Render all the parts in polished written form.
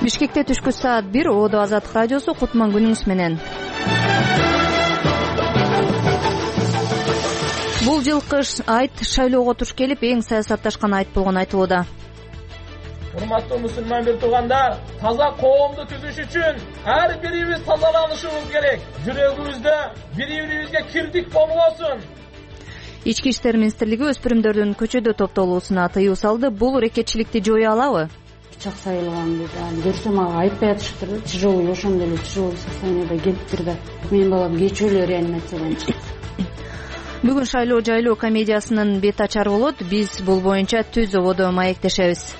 Бишкекте түшкү саат 1 Ободо Азаттык радиосу Кутман күнүңүз менен. Бул жылкы айт шайлоого туш келип эң саясатташкан айт болгону айтылууда. Урматтуу мусулман бир туугандар, таза коомду түзүш үчүн ар бирибиз тазаланышыбыз керек. Жүрөгүбүздө бири-бирибизге кирдик болбосун. Ички иштер министрлиги өспүрүмдөрдүн көчөдө топтолуусуна тыюу салды. Бул рекетчиликти жоюя алабы? Пычак сайылган дейт. Көрсөм ага айтпай атышыптыр да. Тяжелый ошондой эле тяжелый состояниеде келиптир да. Менин балам кечээ эле реанимациядан чыкты. Бүгүн шайлоо жайлоо комедиясынын бет ачары болот. Биз бул боюнча түз ободо маектешебиз.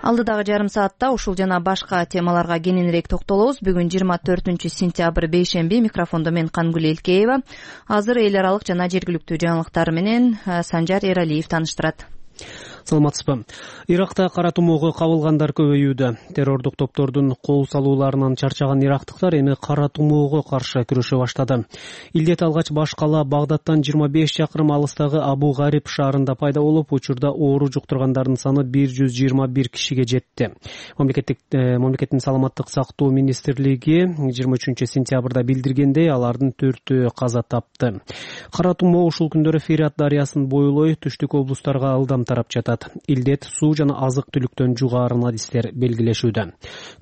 Алдыдагы жарым саатта ушул жана башка темаларга кененирээк токтолобуз. Бүгүн 24-сентябрь бейшемби. Микрофондо мен Кангүл Элкеева. Азыр эл аралык жана жергиликтүү жаңылыктар менен Санжар Эралиев тааныштырат. Саламатсызбы. Иракта кара тумоого кабылгандар көбөйүүдө. Террордук топтордун кол салууларынан чарчаган ирактыктар эми кара тумоого каршы күрөшө баштады. Илдет алгач баш кала Багдадтан 25 чакырым алыстагы Абу Гариб шаарында пайда болуп, учурда оору жуктургандардын саны 121 кишиге жетти. Мамлекеттин саламаттык сактоо министрлиги 23-сентябрда билдиргендей, алардын 4-өө каза тапты. Кара тумоо ушул күндөрү Ферат дарыясын бойлой түштүк облустарга ылдам тарап жатат. Илдет суу жана азык-түлүктөн жугаарын адистер белгилешүүдө.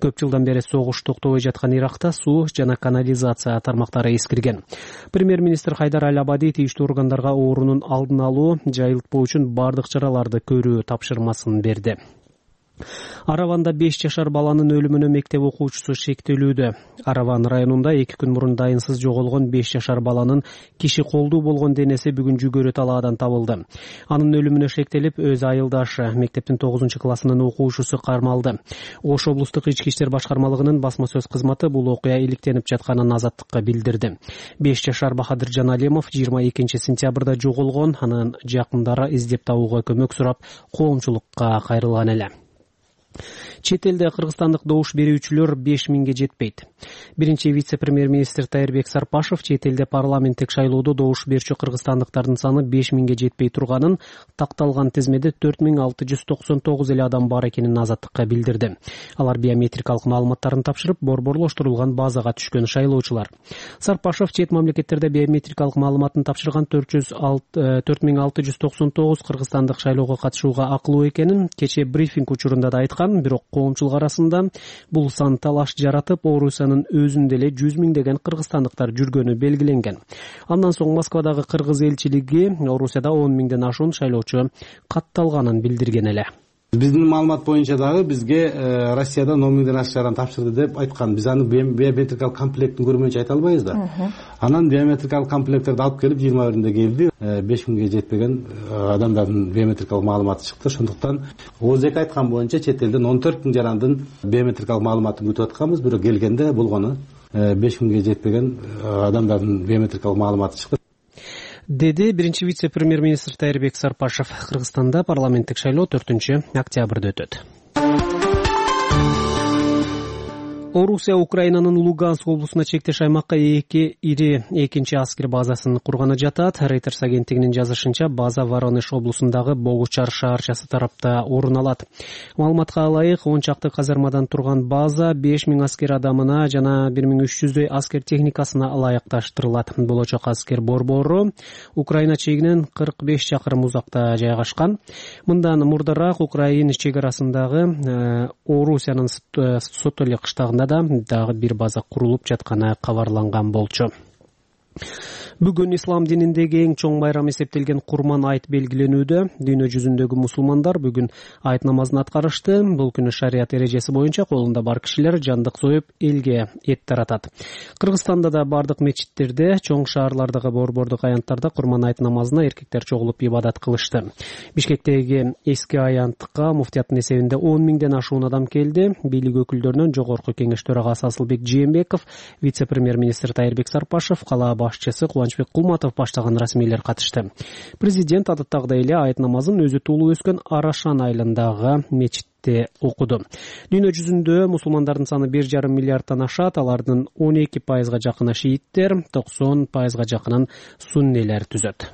Көп жылдан бери согуш токтобой жаткан Иракта суу жана канализация тармактары эскирген. Премьер-министр Хайдар Аль-Абади тийиштүү органдарга оорунун алдын алуу, жайылтпоо үчүн бардык чараларды көрүү тапшырмасын берди. Араванда 5 жашар баланын өлүмүнө мектеп окуучусу шектелүүдө. Араван районунда 2 күн мурун дайынсыз жоголгон 5 жашар баланын киши колдуу болгон денеси бүгүн Жүгөрү талаадан табылды. Анын өлүмүнө шектелип, өз айылдашы мектептин 9-классынын окуучусу кармалды. Ош облустук ички иштер башкармалыгынын басма сөз кызматы бул окуя иликтенип жатканын Азаттыкка билдирди. 5 жашар Бахадыр Жаналемов 22-сентябрда жоголгон, анын жакындары издеп табууга көмөк сурап коомчулукка кайрылган эле. Чет элде кыргызстандык добуш берүүчүлөр 5000ге жетпейт. Биринчи вице-премьер-министр Тайырбек Сарпашев чет элде парламенттик шайлоодо добуш берүүчү кыргызстандыктардын саны 5000ге жетпей турганын, такталган тизмеде 4699 эле адам бар экенин Азаттыкка билдирди. Алар биометрикалык маалыматтарын тапшырып, борборлоштурулган базага түшкөн шайлоочулар. Сарпашев чет мамлекеттерде биометрикалык маалыматын тапшырган 4699 кыргызстандык шайлоого катышууга акылуу экенин кечээ брифинг учурунда да айткан. Бирок коомчулук арасында бул сан талаш жаратып, Орусиянын өзүндө эле 100 миңдеген кыргызстандыктар жүргөнү белгиленген. Андан соң Москвадагы кыргыз элчилиги Орусияда 10 миңден ашуун шайлоочу катталганын билдирген эле. Биздин маалымат боюнча дагы бизге Россиядан 10 миңден ашыган тапшырды деп айткан. Биз аны биометрикалык комплектин көрмөйүнчө айта албайбыз да. Анан биометрикалык комплекттерди алып келип 21-нде келди. 5000ге жетпеген адамдардын биометрикалык маалыматы чыкты. Ошондуктан ОЗК айткан боюнча чет элден 14 миң жарандын биометрикалык маалыматын күтүп атканбыз. Бирок келгенде болгону 5000ге жетпеген адамдардын биометрикалык маалыматы чыкты, деди биринчи вице-премьер-министр Тайырбек Сарпашев. Кыргызстанда парламенттик шайлоо 4-апрелда өтөт. Орусия Украинанын Луганск облусуна чектеш аймакка ири экинчи аскер базасын курганы жатат. Reuters агенттигинин жазышынча, база Воронеж облусундагы Богучар шаарчасы тарапта орун алат. Маалыматка ылайык, 10 чакты казармадан турган база 5000 аскер адамына жана 1300дөй аскер техникасына ылайыкташтырылат. Болочок аскер борбору Украина чегинен 45 чакырым узакта жайгашкан. Мындан мурдараак Украина чек арасындагы Орусиянын Сотоли кыштагында дагы бир база курулуп жатканы кабарланган болчу. Бүгүн ислам дининдеги эң чоң байрам эсептелген Курман айт белгиленүүдө. Дүйнө жүзүндөгү мусулмандар бүгүн айт намазын аткарышты. Бул күнү шарият эрежеси боюнча колунда бар кишилер жандык союп, элге эт таратат. Кыргызстанда да бардык мечиттерде, чоң шаарлардагы борбордук аянттарда Курман айт намазына эркектер чогулуп ибадат кылышты. Бишкектеги эски аянтка муфтияттын эсебинде 10 миңден ашуун адам келди. Бийлик өкүлдөрүнөн Жогорку кеңеш төрагасы Асылбек Жээнбеков, вице-премьер-министр Тайырбек Сарпашев, кала башчысы Кубанычбек Кулматов баштаган расмийлер катышты. Президент адаттагыдай эле айт намазын өзү туулуп өскөн Арашан айылындагы мечитте окуду. Дүйнө жүзүндө мусулмандардын саны 1,5 миллиардтан ашат. Алардын 12%га жакыны шииттер, 90%га жакынын суннилер түзөт.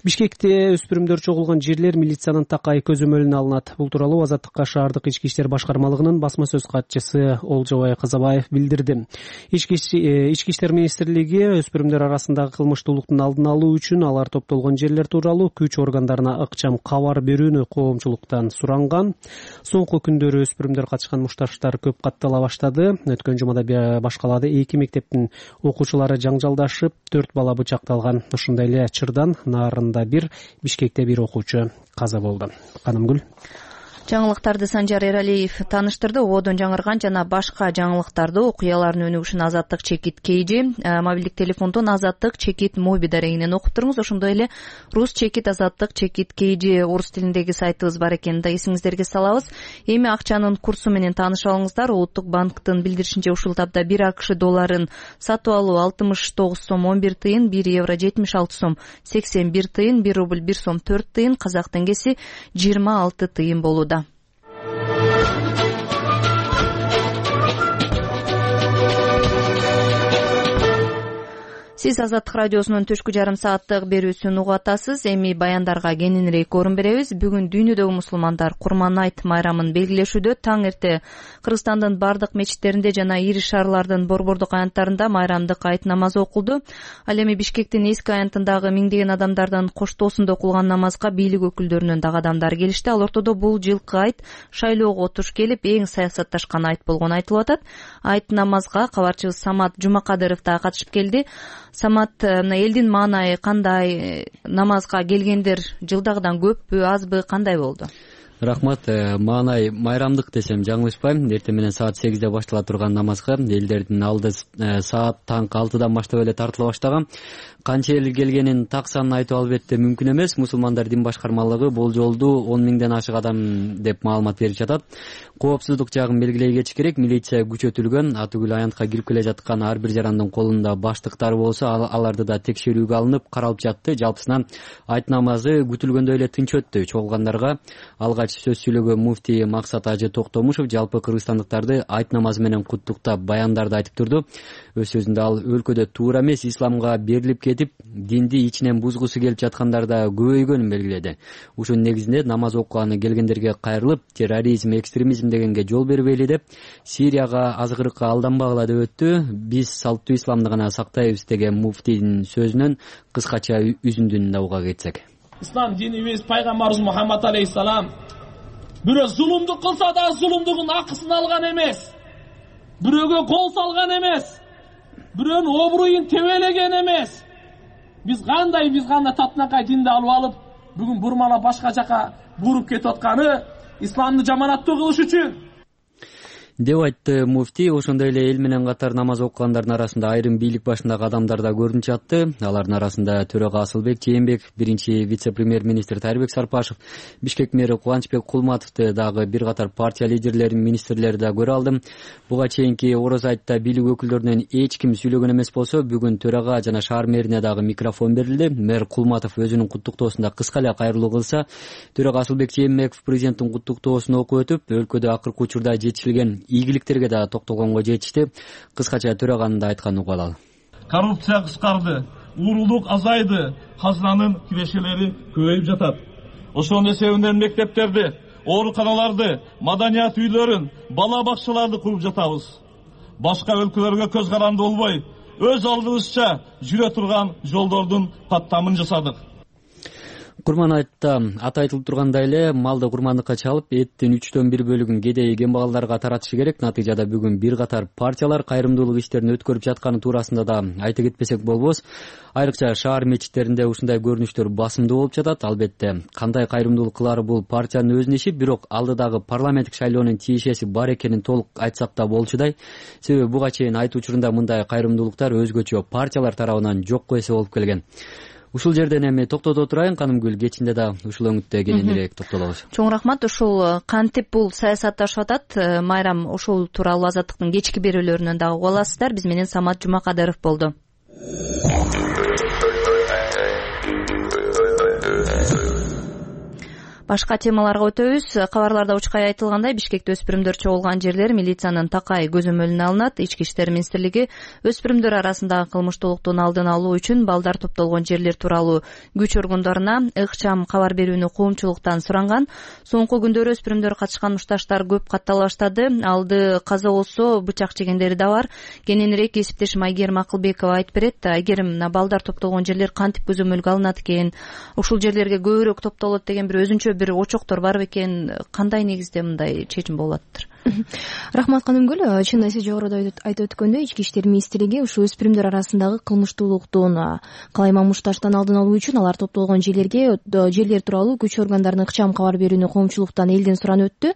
Бишкекте өспүрүмдөр чогулган жерлер милициянын такай көзөмөлүнө алынат. Бул тууралуу Азаттыкка шаардык ички иштер башкармалыгынын басма сөз катчысы Олжобай Казабаев билдирди. Ички иштер министрлиги өспүрүмдөр арасындагы кылмыштуулуктун алдын алуу үчүн алар топтолгон жерлер тууралуу күч органдарына ыкчам кабар берүүнү коомчулуктан суранган. Соңку күндөрү өспүрүмдөр катышкан мушташтар көп каттала баштады. Өткөн жумада баш калаада 2 мектептин окуучулары жаңжалдашып, 4 бала бычакталган. Ошондой эле Чырдан, Нарында бир, Бишкекте бир окуучу каза болду. Канымгүл. Жаңылыктарды Санжар Эралиев тааныштырды. Ободон жаңырган жана башка жаңылыктарды, окуялардын өнүгүшүн Азаттык чекит KG, мобилдик телефондон Азаттык чекит моби дарегинен окуп туруңуз. Ошондой эле рус чекит Азаттык чекит KG орус тилиндеги сайтыбыз бар экенин да эсиңиздерге салабыз. Эми акчанын курсу менен тааныша алыңыздар. Улуттук банктын билдиришинче ушул тапта 1 АКШ долларын сатып алуу 69 сом 11 тыйын, 1 евро 76 сом 81 тыйын, 1 рубль 1 сом 4 тыйын, казак теңгеси 26 тыйын болууда. Сиз Азаттык радиосунун түшкү жарым сааттык берүүсүн угуп атасыз. Эми баяндарга кененирээк орун беребиз. Бүгүн дүйнөдөгү мусулмандар Курман айт майрамын белгилешүүдө. Таң эрте Кыргызстандын бардык мечиттеринде жана ири шаарлардын борбордук аянттарында майрамдык айт намазы окулду. Ал эми Бишкектин эски аянтындагы миңдеген адамдардын коштоосунда окулган намазга бийлик өкүлдөрүнөн дагы адамдар келишти. Ал ортодо бул жылкы айт шайлоого туш келип эң саясатташкан айт болгону айтылып атат. Айт намазга кабарчыбыз Самат Жумакадыров да катышып келди. Самат, элдин маанайы кандай? Намазга келгендер жылдагыдан көппү, азбы, кандай болду? Рахмат. Маанай майрамдык десем жаңылышпайм. Эртең менен саат 8де баштала турган намазга элдердин алды саат таңкы 6дан баштап эле тартыла баштаган. Канча эл келгенин так санын айтуу албетте мүмкүн эмес. Мусулмандар дин башкармалыгы бул жолду 10 миңден ашык адам деп маалымат берип жатат. Коопсуздук жагын белгилей кетиш керек. Милиция күчөтүлгөн. Атүгүл аянтка кирип келе жаткан ар бир жарандын колунда баштыктар болсо, аларды да текшерүүгө алынып каралып жатты. Жалпысынан айт намазы күтүлгөндөй эле тынч өттү. Чогулгандарга алгач сөз сүйлөгөн муфтий Максат Ажы Токтомушев жалпы кыргызстандыктарды айт намазы менен куттуктап баяндарды айтып турду. Өз сөзүндө ал өлкөдө туура эмес исламга берилип кетип, динди ичинен бузгусу келип жаткандар да көбөйгөнүн белгиледи. Ушунун негизинде намаз окуганы келгендерге кайрылып, терроризм, экстремизм дегенге жол бербейли деп, Сирияга азгырыкка алданбагыла деп өттү. Биз салттуу исламды гана сактайбыз деген муфтийдин сөзүнөн кыскача үзүндүн да уга кетсек. Ислам динибиз пайгамбарыбыз Мухаммад алейхиссалам бирөө зулумдук кылса да зулумдугун акысын алган эмес. Бирөөгө кол салган эмес. Бирөөнүн обруйун тебелеген эмес. Биз кандай татынакай динди алып алып, бүгүн бурмалап башка жака буруп кетип атканы исламды жаманаттуу кылыш үчүн деп айтты муфтий. Ошондой эле эл менен катар намаз окугандардын арасында айрым бийлик башындагы адамдар да көрүнүп жатты. Алардын арасында төрага Асылбек Жээнбек, биринчи вице-премьер-министр Тарбек Сарпашев, Бишкек мэри Кубанычбек Кулматовду дагы бир катар партия лидерлерин, министрлерди да көрө алдым. Буга чейинки Ороз айтта бийлик өкүлдөрүнөн эч ким сүйлөгөн эмес болсо, бүгүн төрага жана шаар мэрине дагы микрофон берилди. Мэр Кулматов өзүнүн куттуктоосунда кыска эле кайрылуу кылса, төрага Асылбек Жээнбеков президенттин куттуктоосун окуп өтүп, өлкөдө акыркы учурда жетишилген ийгиликтерге да токтолгонго жетишти. Кыскача төраганын да айтканын угуп алалы. Коррупция кыскарды, уурулук азайды, казынанын кирешелери көбөйүп жатат. Ошонун эсебинен мектептерди, ооруканаларды, маданият үйлөрүн, бала бакчаларды куруп жатабыз. Башка өлкөлөргө көз каранды болбой, өз алдыбызча жүрө турган жолдордун каттамын жасадык. Курман айтта аты айтылып тургандай эле малды курмандыкка чалып, эттин 1/3 бөлүгүн кедей кембагалдарга таратышы керек. Натыйжада бүгүн бир катар партиялар кайрымдуулук иштерин өткөрүп жатканы туурасында да айта кетпесек болбос. Айрыкча шаар мечиттеринде ушундай көрүнүштөр басымдуу болуп жатат. Албетте кандай кайрымдуулук кылары бул партиянын өзүнүн иши, бирок алдыдагы парламенттик шайлоонун тиешеси бар экенин толук айтсак да болчудай. Себеби буга чейин айт учурунда мындай кайрымдуулуктар өзгөчө партиялар тарабынан жокко эсе болуп келген. Ушул жерден эми токтото турайын, Канымгүл, кечинде да ушул өңүттө кененирээк токтолобуз. Чоң рахмат. Ушул кантип бул саясатташып атат майрам, ошол тууралуу Азаттыктын кечки берүүлөрүнөн дагы угуп аласыздар. Биз менен Самат Жумакадыров болду. Башка темаларга өтөбүз. Кабарларда учкай айтылгандай, Бишкекте өспүрүмдөр чогулган жерлер милициянын такай көзөмөлүнө алынат. Ички иштер министрлиги өспүрүмдөр арасындагы кылмыштуулуктун алдын алуу үчүн балдар топтолгон жерлер тууралуу күч органдарына ыкчам кабар берүүнү коомчулуктан суранган. Соңку күндөрү өспүрүмдөр катышкан мушташтар көп каттала баштады. Алды каза болсо, бычак жегендери да бар. Кененирээк кесиптешим Айгерим Акылбекова айтып берет. Айгерим, балдар топтолгон жерлер кантип көзөмөлгө алынат экен, ушул жерлерге көбүрөөк топтолот деген бир өзүнчө бир очоктор бар бекен, кандай негизде мындай чечим болуп атыптыр? Рахмат Канымгүл. Чын сиз жогоруда айтып өткөндөй, Ички иштер министрлиги ушул өспүрүмдөр арасындагы кылмыштуулуктун калайма мушташтан алдын алуу үчүн алар топтолгон жерлер тууралуу күч органдарынын ыкчам кабар берүүнү коомчулуктан элден суранып өттү.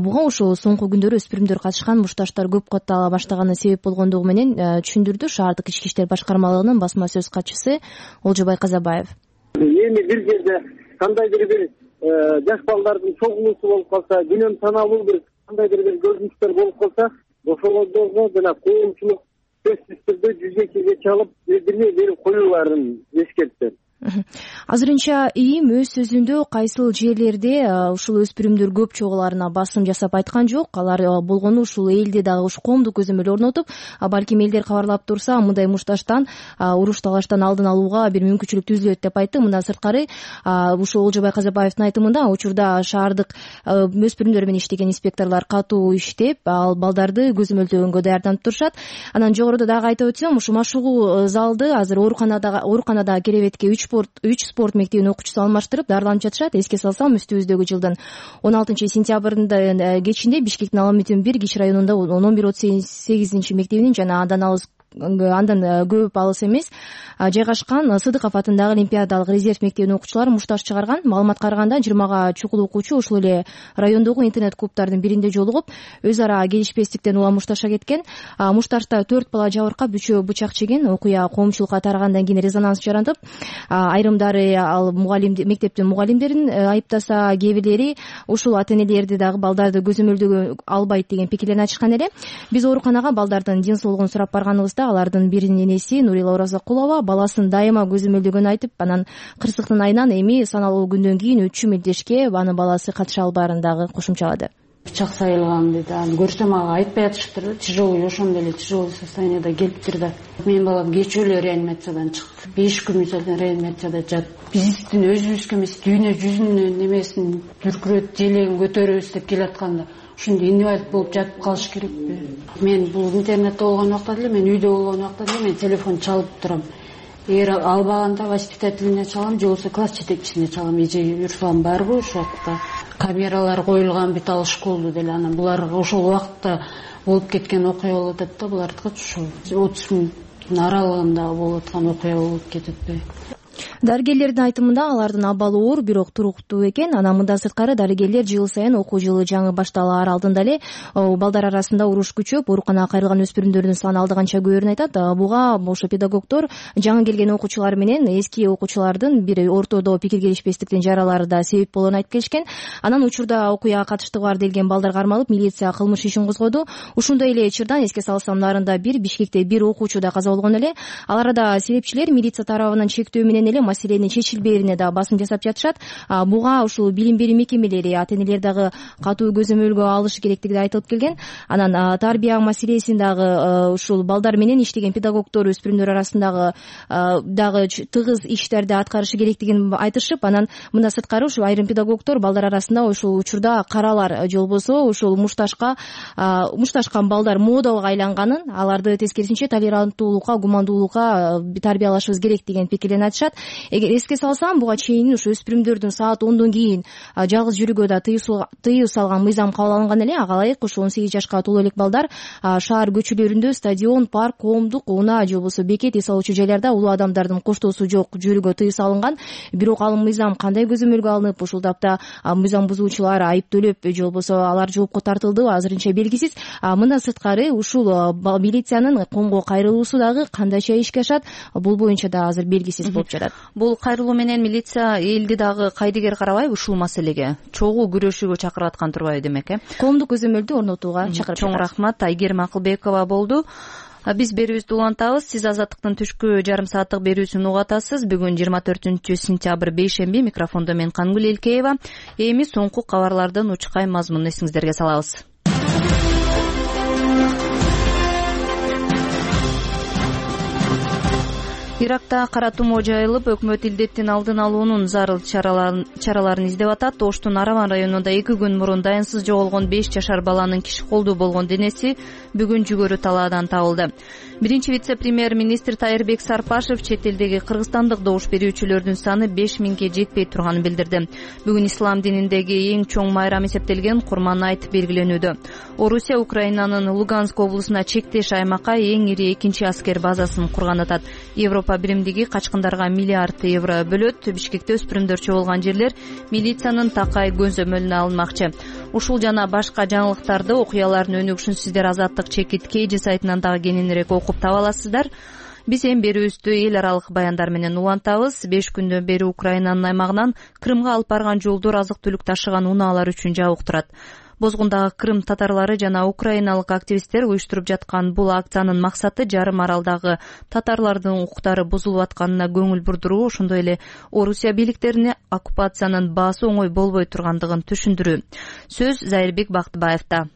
Буга ушул соңку күндөрү өспүрүмдөр катышкан мушташтар көп каттала баштаганы себеп болгондугу менен түшүндүрдү шаардык ички иштер башкармалыгынын басма сөз катчысы Олжобай Казабаев. Эми бир жерде кандайдыр бир жаш балдардын чогулуусу болуп калса, күнөм саналуу бир кандайдыр бир көрүнүштөр болуп калса, ошолордо жана коомчулук сөзсүз түрдө жүзөккө чалып билдирме берип коюуларын эскертти. Азырынча ИИМ өз сөзүндө кайсыл жерлерде ушул өспүрүмдөр көп чогуларына басым жасап айткан жок. Алар болгону ушул элде дагы ушу коомдук көзөмөл орнотуп, балким элдер кабарлап турса, мындай мушташтан, уруш талаштан алдын алууга бир мүмкүнчүлүк түзүлөт деп айтты. Мындан сырткары, ушул Олжобай Казабаевдин айтымында учурда шаардык өспүрүмдөр менен иштеген инспекторлор катуу иштеп, ал балдарды көзөмөлдөгөнгө даярданып турушат. Анан жогоруда дагы айтып өтсөм, ушу машыгуу залды азыр ооруканада керебетке 3 спорт мектебинин окуучусу алмаштырып дарыланып жатышат. Эске салсам, үстүбүздөгү жылдын 16 сентябрында кечинде Бишкектин Аламүтүн 1 киш районунда 11-38 мектебинин жана андан көп алыс эмес жайгашкан Сыдыков атындагы Олимпиадалык резерв мектебинин окуучулары мушташ чыгарган. Маалыматка караганда 20 чукул окуучу ушул эле райондогу интернет клубтардын биринде жолугуп, өз ара келишпестиктен улам мушташка кеткен. Мушташта 4 бала жабыркап, 3-өө бычак жеген. Окуя коомчулукка тарагандан кийин резонанс жаратып, айрымдары ал мектептин мугалимдерин айыптаса, кээ бирлери ушул ата-энелерди дагы балдарды көзөмөлдөгө албайт деген пикирлерин айтышкан эле. Биз ооруканага балдардын ден соолугун сурап барганыбызда алардын биринин энеси Нурила Оразакулова баласын дайыма көзөмөлдөгөнүн айтып, анан кырсыктын айынан эми саналуу күндөн кийин өтчү мелдешке анын баласы катыша албаарын дагы кошумчалады. Бычак сайылган дейт. Аны көрсөм ага айтпай атышыптыр. Тяжелый, ошондой эле тяжелый состоянияда келиптир да. Менин балам кечээ реанимациядан чыкты. 5 күн мисалдан реанимацияда жатып, биздин өзүбүзгө эмес, дүйнө жүзүнүн немесин дүркүрөт, желегин көтөрөбүз деп келатканда, ушундай инвалид болуп жатып калыш керекпи? Мен бул интернетте болгон убакта деле, мен үйдө болгон убакта деле мен телефон чалып турам. Эгер албаганда воспитательнине чалам, же болбосо класс жетекчисине чалам. Эже Руслан барбы ошол убакта? Камералар коюлган бит, ал школду деле. Анан булар ошол убакта болуп кеткен окуя болуп атат да, булардыкы ушул 30 мүнөттүн аралыгында болуп аткан окуя болуп кететпи? Дарыгерлердин айтымында алардын абалы оор, бирок туруктуу экен. Анан мындан сырткары дарыгерлер жыл сайын окуу жылы жаңы башталаар алдында эле балдар арасында уруш күчөп, ооруканага кайрылган өспүрүмдөрдүн саны алды канча көбөрүн айтат. Буга ошо педагогдор жаңы келген окуучулар менен эски окуучулардын бир ортодо пикир келишпестиктин жаралары да себеп болгонун айтып келишкен. Анан учурда окуяга катыштыгы бар делген балдар кармалып, милиция кылмыш ишин козгоду. Ушундай эле чырдан эске салсам, нарында Бишкекте 1 окуучу да каза болгон эле. Аларда себепчилер милиция тарабынан чектөө менен эле маселенин чечилбээрине да басым жасап жатышат. Буга ушул билим берүү мекемелери, ата-энелер дагы катуу көзөмөлгө алышы керектиги да айтылып келген. Анан тарбия маселесин дагы ушул балдар менен иштеген педагогдор өспүрүмдөр арасындагы дагы тыгыз иштерди аткарышы керектигин айтышып, анан мындан сырткары ушул айрым педагогдор балдар арасында ушул учурда каралар же болбосо ушул мушташкан балдар модага айланганын, аларды тескерисинче толеранттуулукка, гумандуулукка тарбиялашыбыз керек деген пикирлерин айтышат. Эгер эске салсам, буга чейин ушу өспүрүмдөрдүн саат 10дон кийин жалгыз жүрүүгө да тыюу салган мыйзам кабыл алынган эле. Ага ылайык ушу 18 жашка толо элек балдар шаар көчөлөрүндө стадион, парк, коомдук, унаа же болбосо бекет эс алуучу жайларда улуу адамдардын коштоосу жок жүрүүгө тыюу салынган. Бирок ал мыйзам кандай көзөмөлгө алынып, ушул тапта мыйзам бузуучулар айыптөлөп же болбосо алар жоопко тартылды азырынча белгисиз. Мындан сырткары ушул милициянын коомго кайрылуусу дагы кандайча ишке ашат, бул боюнча да азыр белгисиз болуп жатат. Бул кайрылуу менен милиция элди дагы кайдыгер карабайбы ушул маселеге? Чогуу күрөшүүгө чакырып аткан турбайбы демек, Коомдук көзөмөлдү орнотууга чакырып. Чоң рахмат. Айгерим Акылбекова болду. Биз берүүбүздү улантабыз. Сиз Азаттыктын түшкү жарым сааттык берүүсүн угуп атасыз. Бүгүн 24-сентябрь бейшемби. Микрофондо мен Кангүл Элкеева. Эми соңку кабарлардын учкай мазмунун эсиңиздерге салабыз. Иракта кара тумоо жайылып, өкмөт илдеттин алдын алуунун зарыл чараларын издеп атат. Оштун Араван районунда 2 күн мурун дайынсыз жоголгон 5 жашар баланын киши колдуу болгон денеси бүгүн жүгөрү талаадан табылды. Биринчи вице-премьер-министр Тайырбек Сарпашев чет элдеги кыргызстандык добуш берүүчүлөрдүн саны 5000ге жетпей турганын билдирди. Бүгүн ислам дининдеги эң чоң майрам эсептелген Курман айт белгиленүүдө. Орусия Украинанын Луганск облусуна чектеш аймакка эң ири экинчи аскер базасын курган атат. Европа биримдиги качкындарга миллиард евро бөлөт. Бишкекте өспүрүмдөр чогулган жерлер милициянын такай көзөмөлүнө алынмакчы. Ушул жана башка жаңылыктарды, окуялардын өнүгүшүн сиздер Азаттык чекит KG сайтынан дагы кененирээк окуп таба аласыздар. Биз эми берүүбүздү эл аралык баяндар менен улантабыз. 5 күндөн бери Украинанын аймагынан Крымга алып барган жолдор азык-түлүк ташыган унаалар үчүн жабык турат. Бозгундагы Крым татарлары жана украиналык активисттер уюштуруп жаткан бул акциянын максаты жарым аралдагы татарлардын укуктары бузулуп атканына көңүл бурдуруу, ошондой эле Орусия бийликтерине оккупациянын баасы оңой болбой тургандыгын түшүндүрүү. Сөз Зайырбек Бактыбаевда.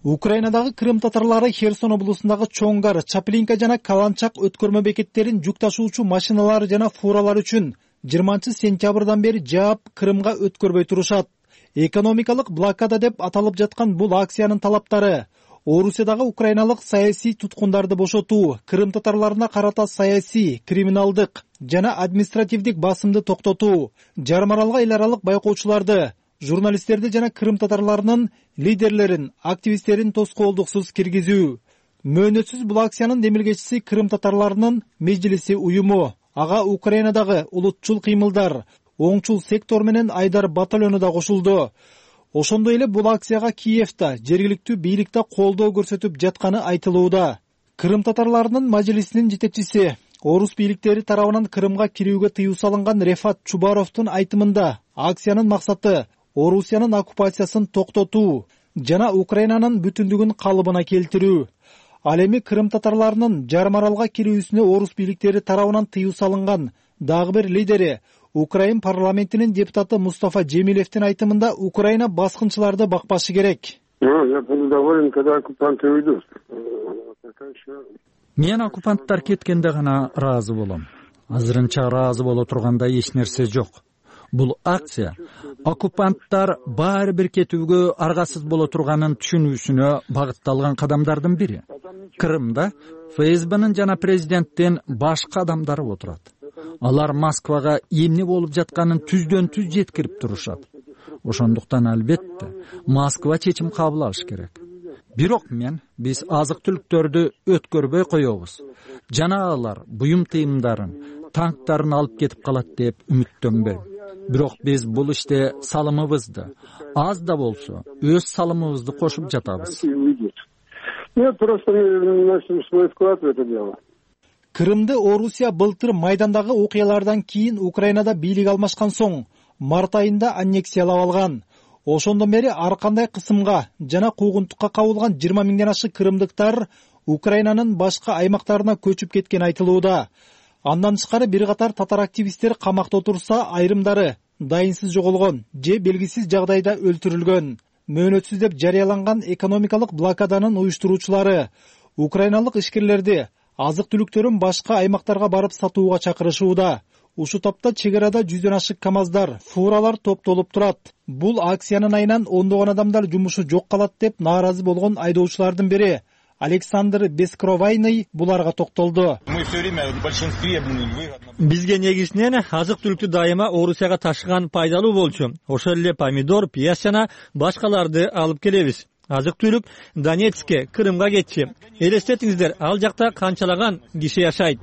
Украинадагы Крым татарлары Херсон облусундагы Чоңгар, Чаплинка жана Каланчак өткөрмө бекеттерин жүк ташуучу машиналар жана фуралар үчүн 20-сентябрдан бери жаап Крымга өткөрбөй турушат. Экономикалык блокада деп аталып жаткан бул акциянын талаптары Орусиядагы украиналык саясий туткундарды бошотуу, Крым татарларына карата саясий, криминалдык жана административдик басымды токтотуу, жарым аралга эл аралык байкоочуларды, журналисттерди жана Крым татарларынын лидерлерин, активисттерин тоскоолдуксуз киргизүү. Мөөнөтсүз бул акциянын демилгечиси Крым татарларынын межлиси уюму. Ага Украинадагы улутчул кыймылдар, оңчул сектор менен Айдар батальону да кошулду. Ошондой эле бул акцияга Киевда жергиликтүү бийликте колдоо көрсөтүп жатканы айтылууда. Крым татарларынын мажлисинин жетекчиси, орус бийликтери тарабынан Крымга кирүүгө тыюу салынган Рефат Чубаровдун айтымында акциянын максаты Орусиянын оккупациясын токтотуу жана Украинанын бүтүндүгүн калыбына келтирүү. Ал эми Крым татарларынын жарым аралга кирүүсүнө орус бийликтери тарабынан тыюу салынган дагы бир лидери, Украин парламентинин депутаты Мустафа Джемилевдин айтымында Украина баскынчыларды бакпашы керек. Мен оккупанттар кеткенде гана ыраазы болом. Азырынча ыраазы боло турганда эч нерсе жок. Бул акция оккупанттар баары бир кетүүгө аргасыз боло турганын түшүнүүсүнө багытталган кадамдардын бири. Крымда ФСБнын жана президенттин башка адамдары отурат. Алар Москвага эмне болуп жатканын түздөн түз жеткирип турушат. Ошондуктан албетте Москва чечим кабыл алыш керек. Бирок биз азык-түлүктөрдү өткөрбөй коебуз. Жана алар буюм тыйымдарын, танктарын алып кетип калат деп үмүттөнбөйм. Бирок биз бул иште салымыбызды, аз да болсо, өз салымыбызды кошуп жатабыз. Крымды Орусия былтыр майдандагы окуялардан кийин Украинада бийлик алмашкан соң март айында аннексиялап алган. Ошондон бери ар кандай кысымга жана куугунтукка кабылган 20 миңден ашык крымдыктар Украинанын башка аймактарына көчүп кеткен айтылууда. Андан тышкары бир катар татар активисттер камакта отурса, айрымдары дайынсыз жоголгон же белгисиз жагдайда өлтүрүлгөн. Мөөнөтсүз деп жарыяланган экономикалык блокаданын уюштуруучулары украиналык ишкерлерди азык-түлүктөрүн башка аймактарга барып сатууга чакырышууда. Ушу тапта чек арада 100дөн ашык камаздар, фуралар топтолуп турат. Бул акциянын айынан ондогон адамдар жумушу жок калат деп нааразы болгон айдоочулардын бири Александр Бескровайный буларга токтолду. Бизге негизинен азык-түлүктү дайыма Орусияга ташыган пайдалуу болчу. Ошол эле помидор, пияз жана башкаларды алып келебиз. Азык-түлүк Донецкке, Крымга кетчи. Элестетиңиздер, ал жакта канчалаган киши жашайт.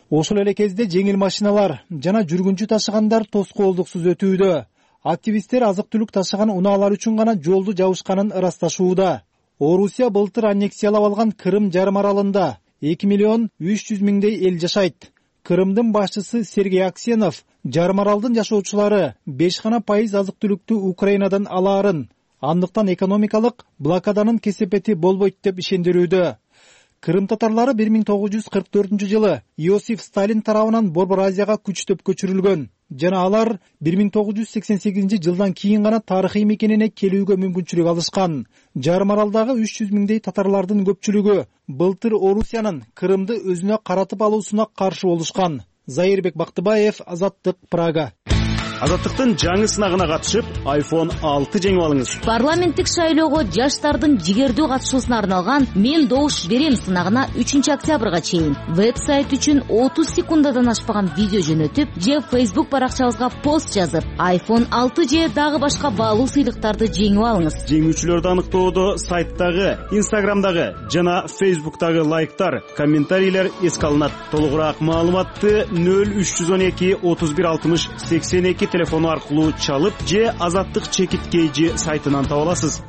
Ошол эле кезде жеңил машиналар жана жүргүнчү ташыгандар тоскоолдуксуз өтүүдө. Активисттер азык-түлүк ташыган унаалар үчүн гана жолду жабышканын ырасташууда. Орусия былтыр аннексиялап алган Крым жарым аралында 2,3 миллион эл жашайт. Крымдын башчысы Сергей Аксенов жарым аралдын жашоочулары 5% азык-түлүктү Украинадан алаарын, андыктан экономикалык блокаданын кесепети болбойт деп ишендирүүдө. Крым татарлары 1944-жылы Иосиф Сталин тарабынан Борбор Азияга күчтөп көчүрүлгөн жана алар 1988-жылдан кийин гана тарыхый мекенине келүүгө мүмкүнчүлүк алышкан. Жарым аралдагы 300 миңдей татарлардын көпчүлүгү былтыр Орусиянын Крымды өзүнө каратып алуусуна каршы болушкан. Заирбек Бактыбаев, Азаттык, Прага. Азаттыктын жаңы сынагына катышып, iPhone 6 жеңип алыңыз. Парламенттик шайлоого жаштардын жигердүү катышуусуна арналган «Мен добуш берем» сынагына 3-октябрга чейин веб-сайт үчүн 30 секундадан ашпаган видео жөнөтүп, же Facebook баракчабызга пост жазып, iPhone 6 же дагы башка баалуу сыйлыктарды жеңип алыңыз. Жеңүүчүлөрдү аныктоодо сайттагы, Instagramдагы жана Facebooktагы лайктар, комментарийлер эске алынат. Толугураак маалыматты 0312 31 60 82 телефону аркылуу чалып же Азаттык чекит KG сайтынан таба аласыз.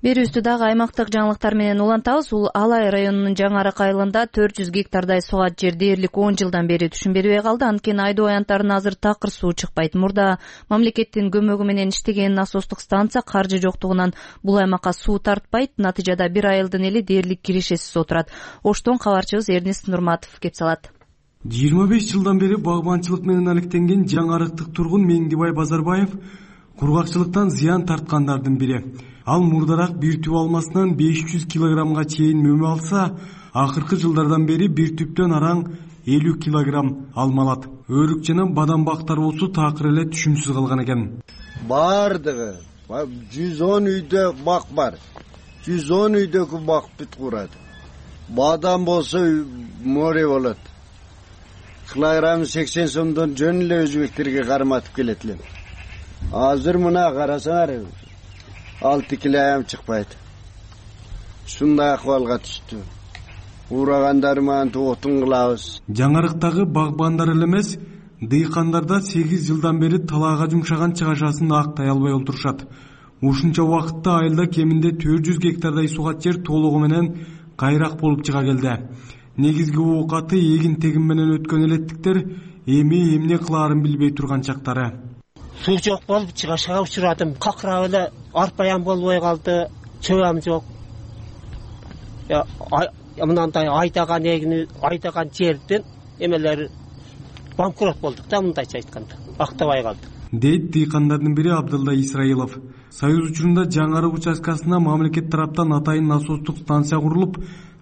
Берүүбүздү дагы аймактык жаңылыктар менен улантабыз. Алай районунун Жаңы Арак айылында 400 гектардай сугат жер дээрлик 10 жылдан бери түшүнбөй калды. Анткени айдоо аянттарына азыр такыр суу чыкпайт. Мурда мамлекеттин көмөгү менен иштеген насостук станция каржы жоктугунан бул аймакка суу тартпайт. Натыйжада бир айылдын эли дээрлик киришесиз отурат. Оштон кабарчыбыз Эрнест Нурматов кеп салат. 25 жылдан бери багбанчылык менен алектенген Жаңы Арактык тургун Меңдибай Базарбаев кургакчылыктан зыян тарткандардын бири. Ал мурдараак бир түп алмасынан 500 килограммга чейин мөмө алса, акыркы жылдардан бери бир түптөн араң 50 килограмм алма алат. Өрүк жана бадам бактар болсо такыр эле түшүмсүз калган экен. Бардыгы 110 үйдө бак бар. 110 үйдөгү бак бүт курат. Бадам болсо море болот. Килограмм 80 сомдон жөн эле өзбектерге карматып келет элем. Азыр мына карасаңар 6 килограмм чыкпайт. Ушундай акыбалга түштү. Урагандар менен отун кылабыз. Жаңы Арактагы багбандар эле эмес, дыйкандар да 8 жылдан бери талаага жумшаган чыгашасын актай албай олтурушат. Ушунча убакытта айылда кеминде 400 гектардай сугат жер толугу менен кайрак болуп чыга келди. Негизги оокаты эгин-тегин менен өткөн элеттиктер эми эмне кылаарын билбей турган чактары. Суу жок болуп чыгашага учурадым. Какырап эле арпаям болбой калды, чөбөм жок. Мындай айдаган эгини, айдаган жерден эмелер банкрот болдук да, мындайча айтканда. Актабай калдык. Дейт дыйкандардын бири Абдылда Исраилов. Союз учурунда Жаңы Арак участкасына мамлекет тараптан атайын насостук станция курулуп,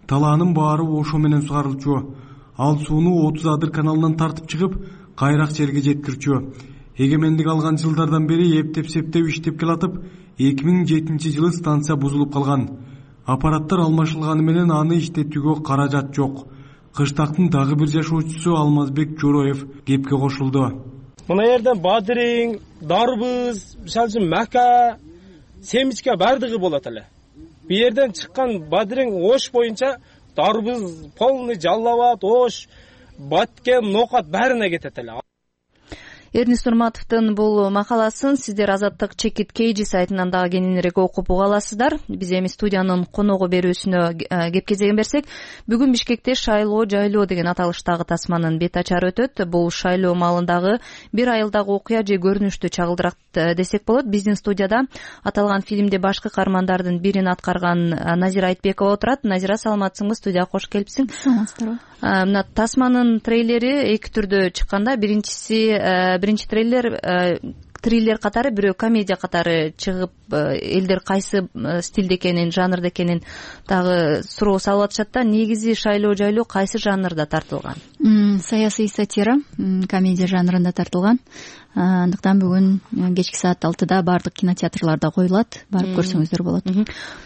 талаанын баары ошо менен сугарылчу. Ал сууну 30 адыр каналынан тартып чыгып, кайрак жерге жеткирчү. Эгемендик алган жылдардан бери эптеп-септеп иштеп келатып, 2007-жылы станция бузулуп калган. Аппараттар алмашылганы менен аны иштетүүгө каражат жок. Кыштактын дагы бир жашоочусу Алмазбек Жороев кепке кошулду. Мына жерден бадырың, дарбыз, мисалы үчүн мака, семичке бардыгы болот эле. Бу жерден чыккан бадырың ош боюнча дарбыз полный жаллабат, ош, баткен, нокат баарына кетет эле. Эрнест Нурматовдун бул макаласын сиздер Азаттык чекит KG сайтынан дагы кененирээк окуп уга аласыздар. Биз эми студиянын коногу берүүсүнө кеп кезеген берсек, бүгүн Бишкекте шайлоо жайлоо деген аталыштагы тасманын бет ачары өтөт. Бул шайлоо маалындагы бир айылдагы окуя же көрүнүштү чагылдырат десек болот. Биздин студияда аталган фильмде башкы каармандардын бирин аткарган Назира Айтбекова отурат. Назира, саламатсыңбы? Студияга кош келипсиң. Саламатсыздарбы. Мына тасманын трейлери эки түрдө чыкканда, биринчи триллер катары, бирөө комедия катары чыгып, элдер кайсы стилде экенин, жанрда экенин дагы суроо салып атышат да. Негизи шайлоо жайлоо кайсы жанрда тартылган? Саясий сатира, комедия жанрында тартылган. Андыктан бүгүн кечки саат 6-да баардык кинотеатрларда коюлат. Барып көрсөңүздөр болот.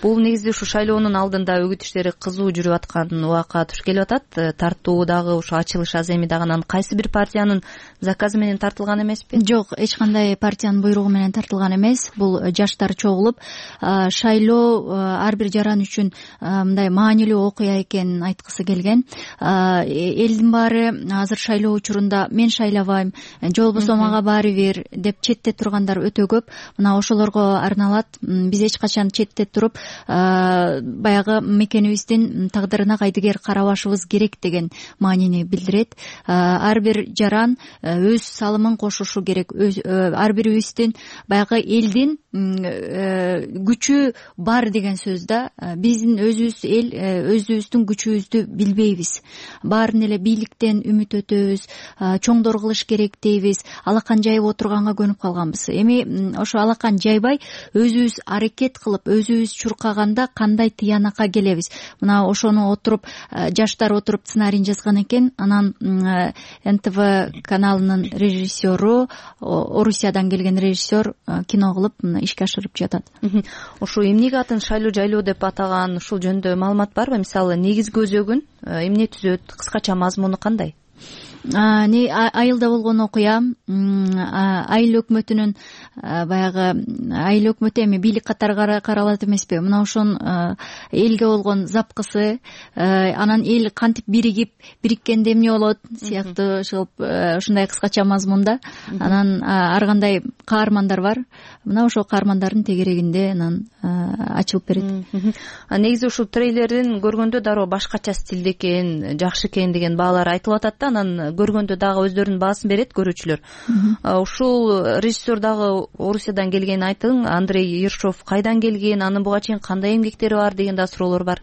Бул негизи ушу шайлоонун алдында өгүт иштери кызуу жүрүп аткан убакка туш келип атат. Тартуу дагы ушу ачылыш аз эми дагы анан кайсы бир партиянын заказы менен тартылган эмеспи? Жок, эч кандай партиянын буйругу менен тартылган эмес. Бул жаштар чогулуп, шайлоо ар бир жаран үчүн мындай маанилүү окуя экенин айткысы келген. Элдин баары азыр шайлоо учурунда мен шайлабайм, же болбосо мага баары бир деп четте тургандар өтө көп. Мына ошолорго арналат. Биз эч качан четте туруп баягы мекенибиздин тагдырына кайдыгер карабашыбыз керек деген маанини билдирет. Ар бир жаран өз салымын кошушу керек. Ар бирибиздин баягы элдин күчү бар деген сөз да. Биздин өзүбүз эл өзүбүздүн күчүбүздү билбейбиз. Баарын эле бийликтен үмүт өтөбүз, чоңдор кылыш керек дейбиз. Алакан жайып отурганга көнүп калганбыз. Эми ошо алакан жайбай өзүбүз аракет кылып, өзүбүз чуркаганда кандай тыянакка келебиз? Мына ошону отуруп жаштар отуруп сценарийин жазган экен. Анан НТВ каналынын режиссеру, Орусиядан келген режиссер кино кылып ишке ашырып жатат. Ушул эмнеге атын шайлоо жайлоо деп атаган, ушул жөнүндө маалымат барбы? Мисалы негизги өзөгүн эмне түзөт, кыскача мазмуну кандай? Айылда болгон окуя, айыл өкмөтүнүн баягы айыл өкмөтү эми бийлик катары каралат эмеспи? Мына ошон элге болгон запкысы, анан эл кантип бириккенде эмне болот сыяктуу ушундай кыскача мазмунда. Анан ар кандай каармандар бар. Мына ошол каармандардын тегерегинде анан ачылып берет. Негизи ушул трейлерин көргөндө дароо башкача стилде экен, жакшы экен деген баалар айтылып атат да. Анан көргөндө дагы өздөрүнүн баасын берет көрүүчүлөр. Ушул режиссер дагы Орусиядан келгенин айтың. Андрей Ершов кайдан келген, анын буга чейин кандай эмгектери бар деген да суроолор бар.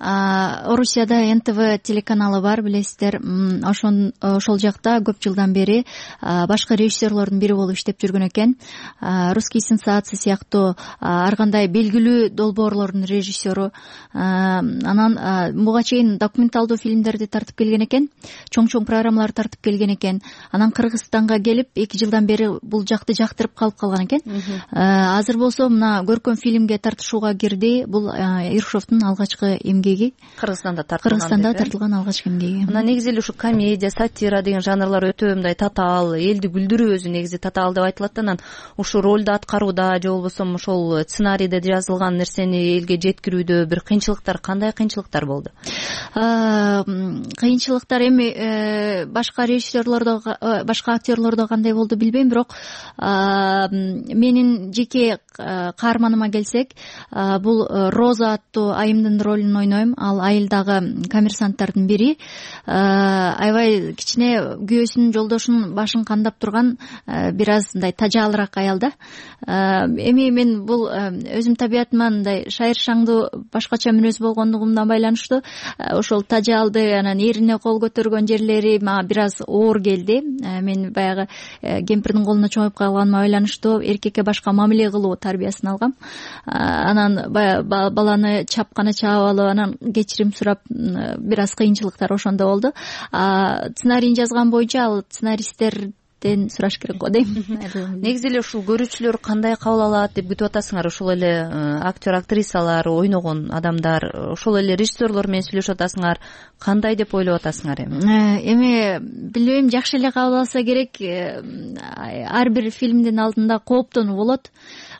Орусияда НТВ телеканалы бар, билесиздер. Ошол жакта көп жылдан бери башкы режиссерлордун бири болуп иштеп жүргөн экен. Русские сенсации сыяктуу ар кандай белгилүү долбоорлордун режиссеру. Анан буга чейин документалдуу фильмдерди тартып келген экен. Чоң программалар тартып келген экен. Анан Кыргызстанга келип 2 жылдан бери бул жакты жактырып калган экен. Азыр болсо мына көркөм фильмге тартышууга кирди. Бул Ершовдун алгачкы эмгеги. Кыргызстанда тартылган алгачкы эмгеги. Мына негизи эле ушу комедия, сатира деген жанрлар өтө мындай татаал, элди күлдүрүү өзү негизи татаал деп айтылат да. Анан ушу ролду аткарууда же болбосо ошол сценарийде жазылган нерсени элге жеткирүүдө бир кыйынчылыктар, кандай кыйынчылыктар болду? Кыйынчылыктар эми башка режиссерлордо, башка актерлордо кандай болду билбейм, бирок менин жеке каарманыма келсек, бул Роза аттуу айымдын ролун ойнойм. Ал айылдагы коммерсанттардын бири. Аябай кичине күйөөсүнүн, жолдошунун башын кандап турган бир аз мындай тажаалыраак аял да. Эми мен бул өзүм табиятыма мындай шайыршаңдуу башкача мүнөз болгондугумдан байланыштуу ошол тажаалды, анан эрине кол көтөргөн жерлери мага бир аз оор келди. Мен баягы кемпирдин колуна чоңоюп калганыма байланыштуу эркекке башка мамиле кылуу тарбиясын алгам. Анан баланы чапканы чаап алып, анан кечирим сурап бир аз кыйынчылыктар ошондо болду. Сценарийин жазган боюнча ал сценаристтерден сураш керек го дейм. Негизи эле ушул көрүүчүлөр кандай кабыл алат деп күтүп атасыңар? Ошол эле актер, актрисалар, ойногон адамдар, ошол эле режиссерлор менен сүйлөшүп атасыңар. Кандай деп ойлоп атасыңар эми? Эми билбейм, жакшы эле кабыл алса керек. Ар бир фильмдин алдында кооптонуу болот.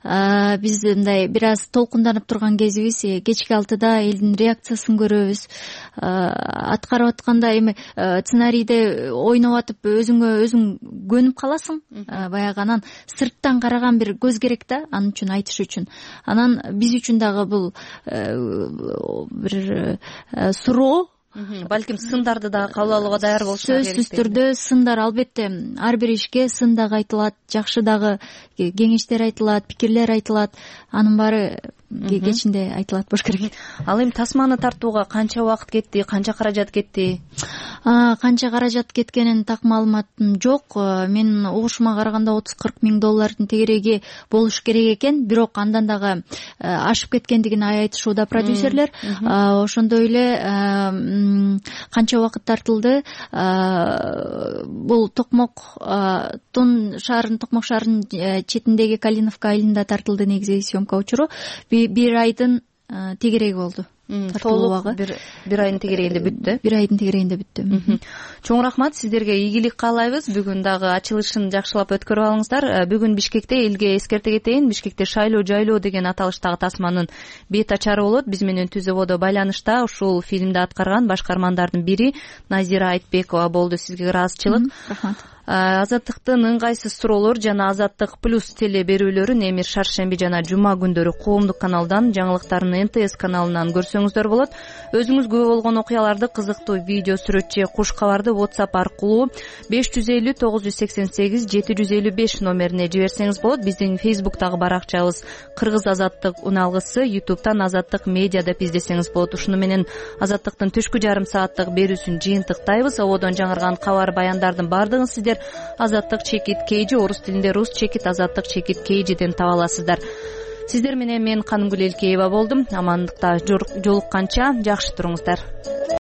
Биз мындай бир аз толкунданып турган кезибиз. Кечки 6-да элдин реакциясын көрөбүз. Аткарып атканда эми сценарийде ойноп атып өзүң көнүп каласың. Баягы анан сырттан караган бир көз керек да, анын үчүн айтыш үчүн. Анан биз үчүн дагы бул бир суроо. Балким сындарды да кабыл алууга даяр болушуңар керек. Сөзсүз түрдө сындар албетте ар бир ишке сын дагы айтылат, жакшы дагы кеңештер айтылат, пикирлер айтылат. Анын баары кечинде айтылат болуш керек. Ал эми тасманы тартууга канча убакыт кетти, канча каражат кетти? Канча каражат кеткенин так маалыматым жок. Мен угушума караганда $30-40 миң тегереги болуш керек экен, бирок андан дагы ашып кеткендигин айтышууда продюсерлер. Ошондой эле канча убакыт тартылды? Бул Токмок шаарынын четиндеги Калиновка айылында тартылды негизи съемка учуру. Бир айдын тегереги болду. Толук бир айдын тегерегинде бүттү. Бир айдын тегерегинде бүттү. Чоң рахмат, сиздерге ийгилик каалайбыз. Бүгүн дагы ачылышын жакшылап өткөрүп алыңыздар. Бүгүн Бишкекте, элге эскерте кетейин, Бишкекте шайлоо жайлоо деген аталыштагы тасманын бет ачары болот. Биз менен түз ободо байланышта ушул фильмди аткарган башкармандардын бири Назира Айтбекова болду. Сизге ыраазычылык. Рахмат. Азаттыктын ыңгайсыз суроолор жана Азаттык плюс теле берүүлөрүн Эмир шаршемби жана жума күндөрү коомдук каналдан, жаңылыктарын НТС каналынан көрсөңүздөр болот. Өзүңүзгө болгон окуяларды, кызыктуу видео сүрөт же куш кабарды WhatsApp аркылуу 550 988 755 номерине жиберсеңиз болот. Биздин Facebook'тагы баракчабыз Кыргыз Азаттык уналгысы, YouTube'тан Азаттык медиа деп издесеңиз болот. Ушуну менен Азаттыктын түшкү жарым сааттык берүүсүн жыйынтыктайбыз. Ободон жаңырган кабар баяндардын бардыгын сиздер Азаттык чекит KG, орус тилинде рус чекит Азаттык чекит KG'ден таба аласыздар. Сиздер менен мен Канымгүл Элкеева болдум. Амандыкта жолукканча жакшы туруңуздар.